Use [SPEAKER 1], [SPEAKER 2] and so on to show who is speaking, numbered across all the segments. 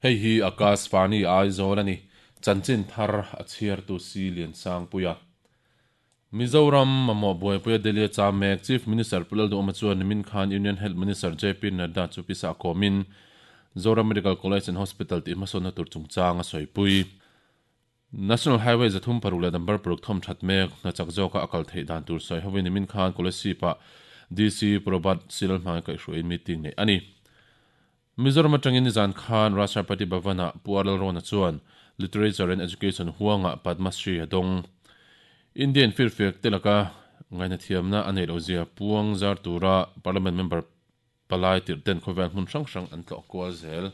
[SPEAKER 1] Hei hi Akashvani Aizawl a ni. Chanchin thar a chhiartu Si Liansangpuia. Mizoram mamawh buaipuia Delhi a cham mek Chief Minister Pu Lalduhawma chuan nimin khan Union Health Minister JP Nadda chu pisa kawmin Zoram Medical College and Hospital tih hmasawnna tur chungchang a sawipui. National Highway 36 leh number paruk thawm that mek hna chak zawka a kal theih dan tur sawi hovin nimin khan Kolasib-ah DC Pu Robert Silalhmai kaihhruaiin meeting neih a ni. Mizoram atangin nizan khan Rashtrapati Bhavan-ah Pu R Lalrawna chuan Literature and Education huangah Padma Shri a dawng. Indian firfiak te laka ngaihnathiamna a neih lohzia puang zar tura Parliament member palai tirh ten khawvel hmun hrang hrang an tlawh kual zel.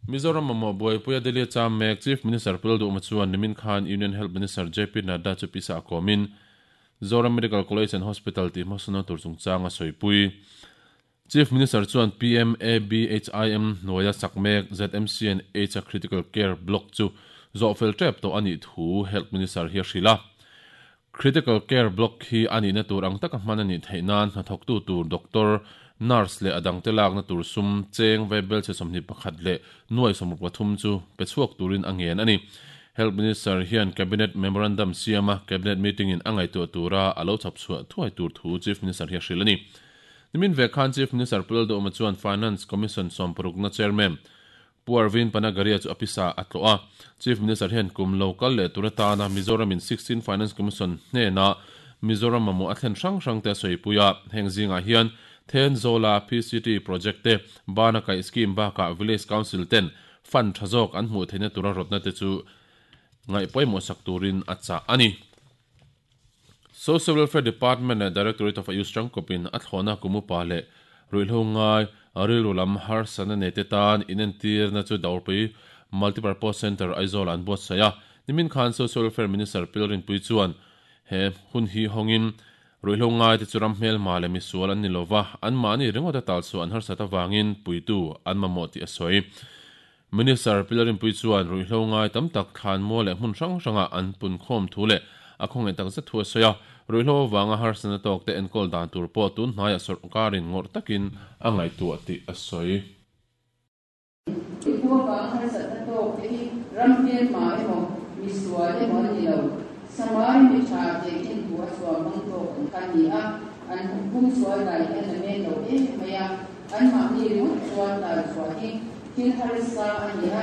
[SPEAKER 1] Mizoram mamawh buaipuia Delhi a cham mek Chief Minister Pu Lalduhma chuan nimin khan Union Health Minister JP Nadda chu pisa a kawmin Zoram Medical College and Hospital tih hmasawnna tur chungchang a sawipui. Chief Minister chuan PMABHIM hnuaia sak mek ZMC and H-a Critical Care Block chu zawhfel tep tawh a nih thu Health Minister hi a hrilh a. Critical Care Block hi a nihna tur ang taka hman a nih theih nan hnathawktu tur doctor, nurse leh a dangte lakna tur sum cheng vaibel chhe 21 leh nuai 63 chu pe chhuak turin a ngen a ni. Health Minister hian Cabinet Memorandum siama Cabinet Meeting in a ngaihtuah tura a lo chhawp chhuah thuai tur thu Chief Minister hi a hrilh a ni. Nimin ve khan Chief Minister Pu Lalduhawma chuan Finance Commission sawmparukna Chairman Pu Arvind Panagariya chu a pisa a tlawh a. Chief Minister hian kum lo kal leh tur atana Mizoram in 16 Finance Commission hnena Mizoram mamawh a thlen hrang hrang te a sawipui a. Heng zingah hian Thenzawl-a PCT project te, Bana kaih scheme bakah Village Council ten fund tha zawk an hmuh theihna tura rawtna te chu ngaih pawimawh sak turin a chah a ni. Social Welfare Department leh Directorate of Ayush tangkawpin a thlawhna kum upa leh ruihhlo ngai rilru lam harsatna nei te tan inentirna chu Dawrpui Multipurpose Centre Aizawl-ah an buatsaih a. Nimin khan Social Welfare Minister Pil Rinpui chuan he hun hi hawngin ruihhlo ngai te chu ram hmelma leh misual an ni lova, anmahni ringawt a talchhuah an harsat avangin puitu an mamawh tih a sawi. Minister Pilar Rinpui chuan ruihhlo ngai tam tak thlanmual leh hmun hrang hrangah an punkhawm thu leh a khawngaih tak zet thu a sawi a, ruihhlo avanga harsatna tawkte enkawl dan tur pawh tun hnaiah sawrkarin ngawrh takin a ngaihtuah tih a sawi.
[SPEAKER 2] Ruihhlo avanga harsatna tawkte hi ram hmelma emaw, misual emaw an ni lo. Samari mi tha tehkhin thu a chhuah hmang tawk an kha ni a, an humsual dai hian a men lo em mai a, anmahni ringawt chuan talchhuah hi Thil harsa a ni a,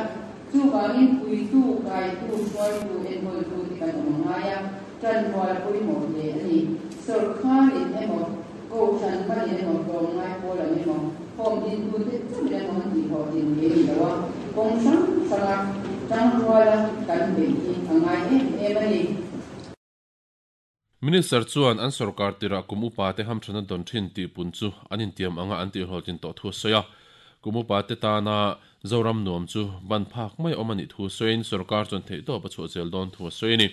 [SPEAKER 2] chuvangin puitu, kaitu, hruaitu, enkawltu te kan awm a ngai a, ṭanrual a pawimawh hle a ni. Sawrkharin emaw, kohhran hmanin emaw, tlawmngai pawl ang emaw, home dintute chauhin emaw an tihhlawhtlin thei a ni lo a, kawng hrang hranga ṭangruala kan beih hi a ngai em em a ni.
[SPEAKER 1] Minister chuan an sorkar tirah kum upa te hamthana dawn thin tih pun chu an intiam anga an tihhlawhtlin tawh thu a sawi a. Kum upa te tana Zoram nuam chu ban phak mai awm a nih thu sawiin sorkar chuan theihtawp a chhuah zel dawn thu a sawi a ni.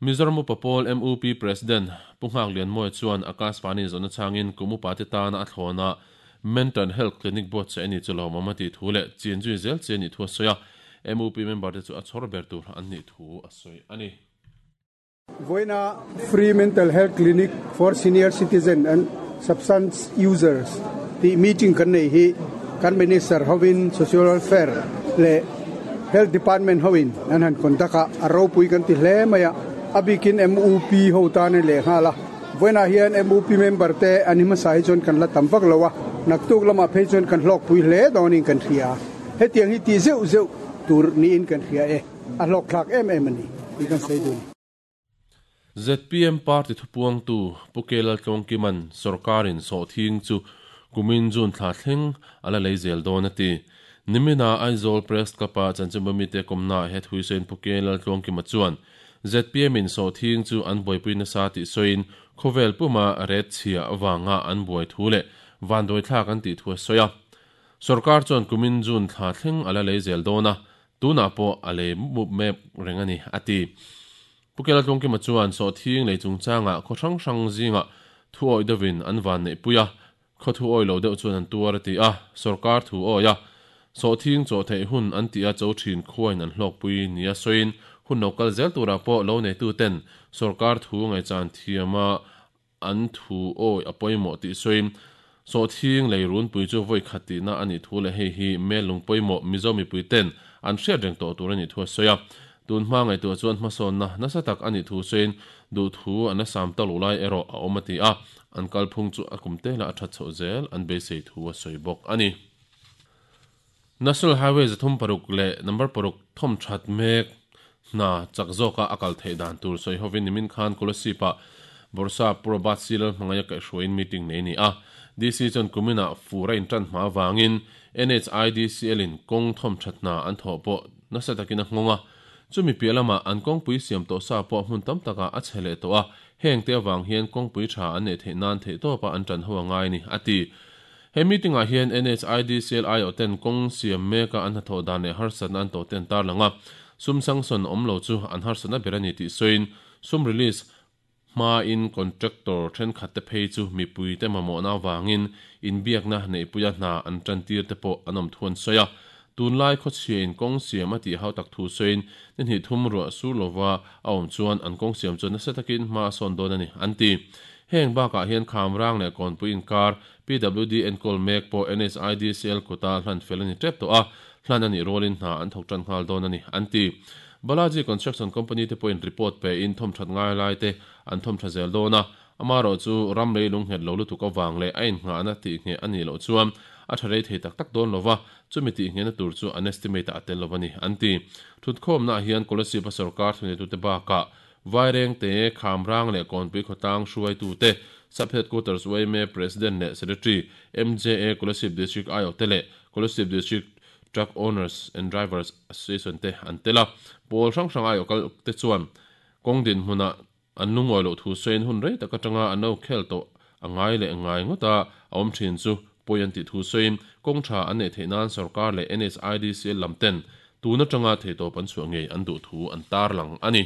[SPEAKER 1] Mizoram Upa Pawl MUP President Pu Nghak Lianmawia chuan Akashvani zawhna changin kum upa te tana a thlawna Mental Health Clinic buatsaih a ni chu lawmawm a tih thu leh chin zui zel chi a nih thu a sawi a. MUP member te chu a chhawr ber tur an nih thu a sawi a ni.
[SPEAKER 3] Vawiina Free Mental Health Clinic for Senior Citizen and Substance Users tih meeting kan nei hi kan Minister hovin Social Welfare leh Health Department hoin an han conduct a, a ropui kan ti hle mai a, a bikin MUP ho tan a leh nghal a. Vawiinah hian MUP member te an hi hmasa hi chuan kan la tam vak lo a, naktuk lamah phei chuan kan hlawkpui hle dawnin kan hria. Hetiang hi tih zeuh zeuh tur niin kan hria e. A hlawkthlak em em a ni tih kan sawi dun.
[SPEAKER 1] Zpm party thupuangtu Pu K Laltlawngkima'n sawrkarin sawhthing chu kumin June thla thleng a la lei zel dawn a ti. Nimina Aizawl Press Club-a chanchinbu mite kawmnaah he thuisawiin Pu K Laltlawngkima chuan zpm in sawhthing chu an buaipui nasa tih sawiin khawvel puma ret chhia avanga an buai thu leh vanduaithlak an tih thu a sawi a. Sawrkar chuan kumin June thla thleng a la lei zel dawn a, Tunah pawh a lei mup mep reng a ni, a ti. Pu Kela Tlungkima chuan sawhthing lei chungchangah khaw hrang hrang zingah thu awih deuhin an van neihpui a, khaw thu awih lo deuh chuan an tuar a ti a, sawrkar thu awih a, sawhthing chawh theih hun an tih a cho thin khuain an hlawkpui nia sawiin hun lo kal zel turah pawh lo neituten sawrkar thu ngaihchan thiama an thu awih a pawimawh tih sawiin. Sawhthing lei runpui chu vawi khat tihna a nih thu leh hei hi mel lung pawimawh Mizo mipui ten an hriat reng tawh tur a nih thu a sawi a. Tun hma ngaihtuah chuan hmasawnna nasa tak a nih thu sawiin duhthu an la sam tak loh lai erawh a awm a ti a, an kalphung chu a kum tela a that chhoh zel an beisei thu a sawi bawk a ni. National Highway 306 leh number paruk thawmthat mek hna chak zawka a kal theih dan tur sawi hovin nimin khan Kolasib-ah Bawrhsap Pu Robert C. Lalhmangaia kaihhruaiin meeting nei a ni a. DC chuan kuminah fur a intan hma avangin NHIDCL-in kawng thawmthat hna an thawh pawh nasa takin a nghawng a. Chumi piah lamah an kawngpui siam tawh sa pawh hmun tam takah a chhe leh tawh a, hengte avang hian kawngpui tha an neih theih nan theihtawpa an tan ho a ngai a ni, a ti. He meeting-ah hian NHIDCL aiawhten kawng siam meka an hnathawh dan leh harsatna an tawhte an tarlang a, sum sanction awm lo chu an harsatna ber a ni tih sawiin sum release hmain contractor thenkhatte phei chu mipuite mamawhna avangin inbiakna neihpuia hna an tantir te pawh an awm thu an sawi a. Tunlai khawchhiain kawng siam a tih hau tak thu sawiin ni hnih thum ruah sur lova a awm chuan an kawng siam chuan nasa takin hma a sawn dawn a ni, an ti. Heng bakah hian Khamrang leh Kawnpui inkar PWD enkawl mek pawh NHIDCL kuta hlan fel a ni tep tawh a, hlan a nih rualin hna an thawk tan nghal dawn a ni, an ti. Balaji Construction Company te pawhin report pein thawmthat ngai lai te an thawmtha zel dawn a, amaherawh chu ram lei lungnghet lo lutuk avang leh a innghahna tihngheh a nih loh chuan a tha rei thei tak tak dawn lo va, chumi tihnghehna tur chu an estimate-ah a tel lo a ni, an ti. Thutkhawmnaah hian Kolasib-a sorkar thuneitute bakah Vairengte, Khamrang leh Kawnpui khawtlang hruaitute, Sub Headquarters yma President leh Secretary, MJA Kolasib District aiawhte leh Kolasib District Truck Owners and Drivers Association te an tel a. Pawl hrang hrang aiawh kal te chuan kawng dinhmunah an lungawi loh thu sawiin hun rei tak atanga an lo khel tawh a ngai leh ngai ngawt a awm thin chu pawi an tih thu sawiin kawng tha an neih theih nan sorkar leh NHIDCL lam ten Tun atanga theihtawp an chhuah ngei an duh thu an tarlang a ni.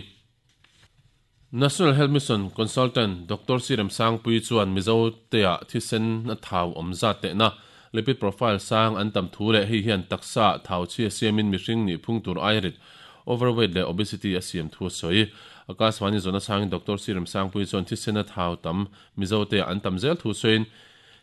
[SPEAKER 1] National Health Mission Consultant Doctor Sirem Sangpui chuan Mizotea thisen a thau awm zat tehna, lipid profile sang an tam thu leh hei hian taksa thau chhia siamin mihring nih phung tur aia rit, overweight leh obesity a siam thu a sawi. Akashvani zawhna changin Doctor Sirem Sangpui chuan thisen a thau tam Mizotea an tam zel thu sawiin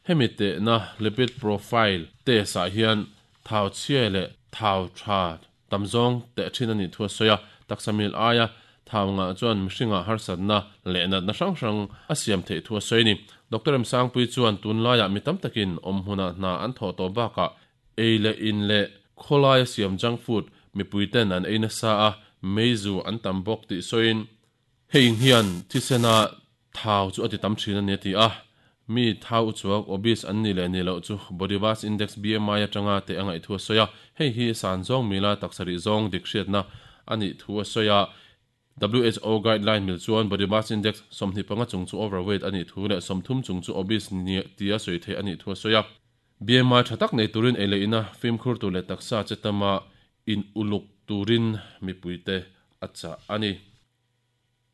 [SPEAKER 1] hemi tehna lipid profile test ah hian Thau chhia leh thau tha tam zawng teh thin a nih thu a sawi a, taksa mil aia thau ngah chuan mihringah harsatna leh natna hrang hrang a siam theih thu a sawi a ni. Doctor Remsangpui chuan tunlaiah mi tam takin awm hmunah hna an thawh tawh bakah ei leh in leh khawlaia siam junk food mipuiten an ei nasa a, meizu an tam bawk tih sawiin, Hei hian thisena thau chu a ti tam thin a ni a ti a. Mi thau uchuak, obese, an nih leh nih loh chu body mass index, BMI, atanga teh a ngaih thu a sawi a. Hei hi san zawng mila taksa rih zawng dik hriatna a nih thu a sawi a. WHO guideline mil chuan body mass index 25 chung chu overweight a nih thu leh 30 chung chu obese tia sawi theih a nih thu a sawi a. BMI tha tak nei turin ei leh ina fimkhur tur leh taksa che tama in uluk turin mipuite a chah a ni.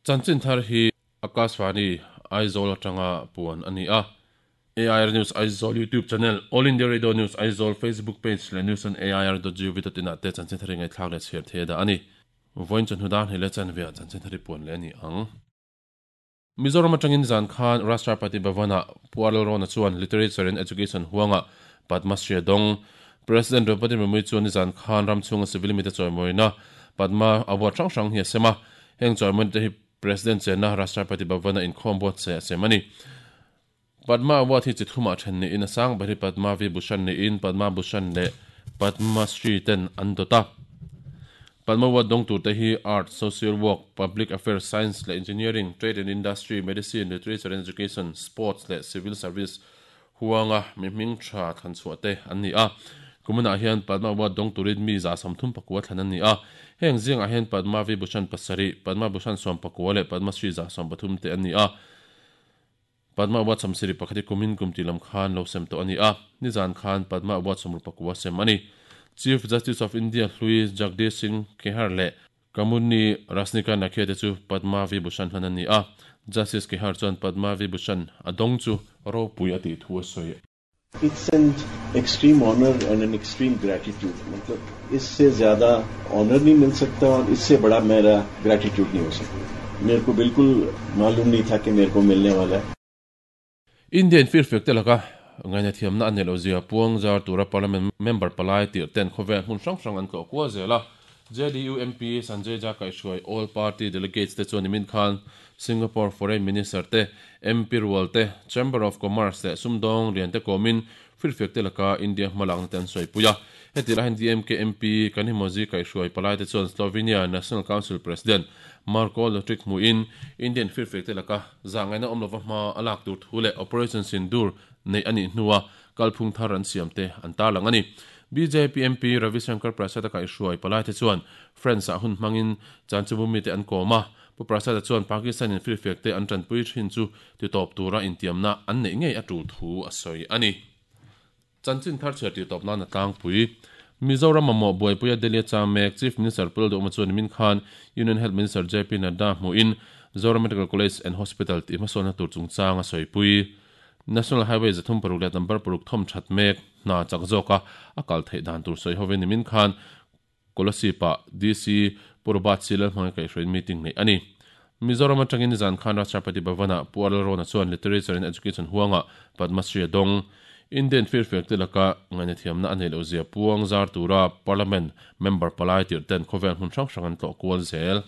[SPEAKER 1] Chanchin thar hi Akashvani Aizawl atanga puan a ni a. AIR News Aizawl YouTube channel, All India Radio News Aizawl Facebook page leh news on air dot gov dot in ah te chanchin thar hi ngaihthlak leh chhiar thei a dah a ni. Vawiin chawhnu dan hei leh chanve ah chanchin thar hi puan leh a ni ang. Mizoram atangin zan khan Rashtrapati Bhavan-ah Pu Arul Rona chuan Literature and Education huangah Padma Shri a dawng. President Draupadi Murmu chuan nizan khan ram chhunga civil mite chawimawina Padma Award hrang hrang hi a sem a. Heng chawimawina te hi President chenna Rashtrapati Bhavan-a inkhawm buatsaih a sem a ni. Padma Award hi chi thumah then niin a sang ber hi Padma Vibhushan niin Padma Bhushan leh Padma Shri ten an dawt a. Padma Award dawng turte hi Art, Social Work, Public Affairs, Science leh Engineering, Trade and Industry, Medicine, Literature and Education, Sports leh Civil Service huanga mi hming tha thlan chhuah te an ni a. Kuminah hian Padma Award dawng turin mi 39 thlan an ni a. Heng zingah hian Padma Vibhushan pasarih, Padma Bhushan 19 leh Padma Shri 130 te an ni a. Padma Award sawmsarih pakhat hi kumin kum tih lam khan lo sem tawh a ni a, nizan khan Padma Award 64 sem a ni. Chief Justice of India hlui Jagdish Singh Khehar leh Kamudni Rasnika Nakhia te chu Padma Vibhushan hlan an ni a, Justice Khehar chuan Padma Vibhushan a dawng chu ropui a tih thu a sawi.
[SPEAKER 4] It's an extreme honour and an extreme gratitude मतलब इससे ज्यादा honour नहीं मिल सकता और इससे बड़ा मेरा ग्रेटिट्यूड नहीं हो सकता मेरे को बिल्कुल मालूम नहीं था कि मेरे को मिलने वाला है
[SPEAKER 1] Indian firfiak te laka Ngainathiamna a neih loh zia puang zar tura Parliament member palai tirh ten khawvel hmun hrang hrang an tlawh kual zel a. JDU MP Sanjay Jha kaihhruai All Party Delegates te chuan nimin khan Singapore Foreign Minister te, MP rual te, Chamber of Commerce leh sumdawng lian te kawmin firfiak te laka India hmalakna te an sawipui a. Heti lahin DMK MP Kanimozhi kaihhruai palai te chuan Slovenia National Council President Marko Lotrik hmuhin Indian firfiak te laka zahngaihna awm lova hma a lak tur thu leh Operation Sindoor neih a nih hnua kalphung thar an siam te an tarlang a ni. Bjp MP Ravi Shankar Prasad-a kaihhruai palaite chuan France-ah hun hmangin Chanchubhu mite an kawm a, Pu Prasad-a chuan Pakistan-in firfiak te an tanpui thin chu titawp tura intiamna an neih ngei a tul thu a sawi a ni. Chanchin thar chhiar tih tawp nan a tlangpui. Mizoram mamawh buaipuia Delhi a chang mek Chief Minister Pu Lalduhawma chuan nimin khan Union Health Minister JP Nadda hmuhin Zoram Medical College and Hospital tih hmasawnna tur chungchang a sawipui. National Highway 306 leh number paruk thawm that mek hna chak zawka a kal theih dan tur sawi hovin nimin khan Kolasib-ah DC Pu Robert C. Lalhmangaih kaihhruaiin meeting neih a ni. Mizoram atangin nizan khan Rashtrapati Bhavan-ah Pu Arul Rona chuan Literature and Education huangah Padma Shri a dawng. Indian firfiak te laka ngaihnathiamna a neih loh zia puang zar tura Parliament member palai tirh ten khawvel hmun hrang hrang an tlawh kual zel.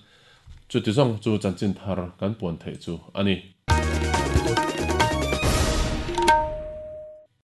[SPEAKER 1] Chuti zawng chu chanchin thar kan puan theih chu a ni.